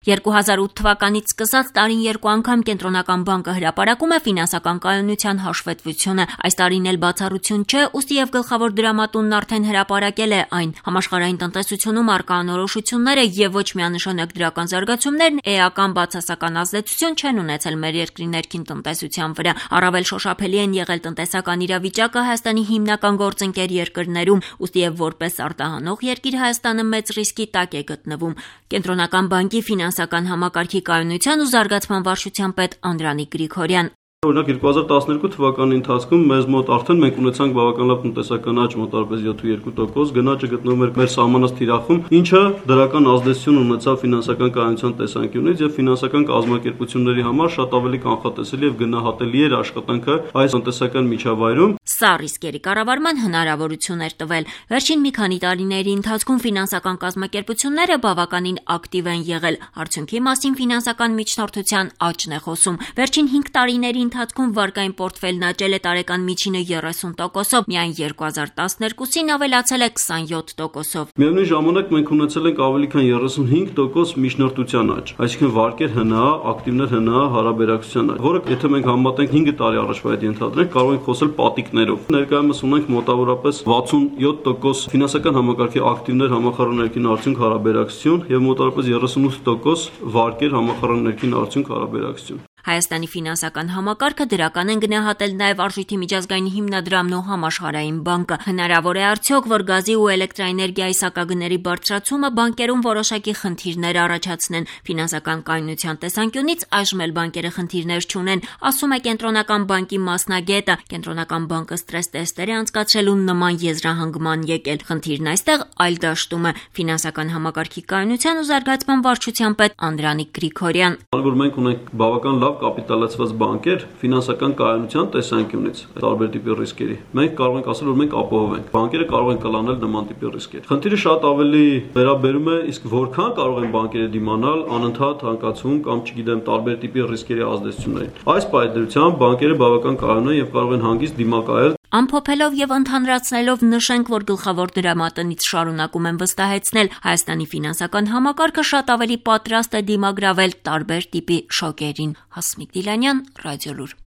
2008 թվականից սկսած տարին 2 անգամ Կենտրոնական բանկը հրապարակում է ֆինանսական կայունության հաշվետվությունը։ Այս տարին էլ բացառություն չէ, ուստի եւ գլխավոր դրամատունն արդեն հրապարակել է այն։ Համաշխարհային տնտեսությունում առկա անորոշությունները եւ ոչ միանշանակ դրական զարգացումներն էական բացասական ազդեցություն չեն ունեցել մեր երկրի ներքին տնտեսության վրա։ Առավել շոշափելի են եղել տնտեսական իրավիճակը Հայաստանի հիմնական գործընկեր երկրներում, ուստի եւ որպես արտահանող երկիր Հայաստանը մեծ ռիսկի տակ է գտնվում։ Կենտրոնական բանկի ֆինանսական համակարգի կայունության ու զարգացման վարչության պետ Անդրանիկ Գրիգորյան: Օրինակ 2012 թվականի ընթացքում մեզ մոտ արդեն մենք ունեցանք բավական լավ տնտեսական աճ, մոտավորապես 7.2%, գնաճը գտնվում էր մեր սահմանած թիրախում, ինչը դրական ազդեցություն ունեցավ ֆինանսական կայունության տեսանկյունից եւ ֆինանսական կազմակերպությունների համար շատ ավելի կանխատեսելի եւ գնահատելի էր աշխատանքը այս տնտեսական միջավայրում։ Սա ռիսկերի կառավարման հնարավորություն էր տվել։ Վերջին մի քանի տարիների ընթացքում ֆինանսական կազմակերպությունները բավականին ակտիվ են եղել։ Արդյունքի մասին ֆինանսական միջնորդության աճն է խոսում։ Վերջին 5 տարիների ընթացքում վարկային պորտֆելն աճել է տարեկան միջինը 30%-ով, միայն 2012-ին ավելացել է 27%-ով։ Միևնույն ժամանակ մենք ունեցել ենք ավելի քան 35% միջնորդության աճ, այսինքն վարկեր ՀՆԱ, ակտիվներ ՀՆԱ հարաբերակցության աճ, որը եթե մենք համատենք 5 տարի առաջվա հետ ենթադրենք, կարող ենք խոսել պատիկներով։ Ներկայումս ունենք մոտավորապես 67% ֆինանսական համակարգի ակտիվներ համախառն ներքին արդյունք հարաբերակցություն եւ մոտավորապես 38% վարկեր համախառն ներքին արդյունք հարաբերակցություն։ Հայաստանի ֆինանսական համակարգը դրական են գնահատել նաև Արժույթի միջազգային հիմնադրամն ու Համաշխարհային բանկը։ Հնարավոր է արդյոք, որ գազի ու էլեկտրաէներգիայի սակագների բարձրացումը բանկերում որոշակի խնդիրներ առաջացնեն։ Ֆինանսական կայունության տեսանկյունից այժմ էլ բանկերը խնդիրներ չունեն, ասում է Կենտրոնական բանկի մասնագետը։ Կենտրոնական բանկը ստրես տեստեր է անցկացրել ու նման եզրահանգման եկել։ Խնդիրն այստեղ այլ դաշտում է։ Ֆինանսական համակարգի կայունության ու զարգացման վարչության պետ Անդրանիկ Գրիգորյան: Որ մենք ունենք բավական լավ կապիտալացված բանկեր ֆինանսական կայունության տեսանկյունից տարբեր տիպի ռիսկերի, մենք կարող ենք ասել, որ մենք ապահով ենք։ Բանկերը կարող են կլանել նման տիպի ռիսկեր։ Խնդիրը շատ ավելի վերաբերում է իսկ որքան կարող են բանկերը դիմանալ անընդհատ հանկացում կամ չգիտեմ տարբեր տիպի ռիսկերի ազդեցություններին։ Այս պայմանությամբ բանկերը բավական կայուն են եւ կարող են հանգիստ դիմակայել։ Ամփոփելով եւ ընդհանրացնելով նշենք, որ գլխավոր դրամատնից շարունակում են վստահեցնել Հայաստանի ֆինանսական համակարգը շատ ավելի պատրաստ է դիմագրավել տարբեր տիպի շոկերին։ Հասմիկ Դիլանյան, Ռադիոլուր։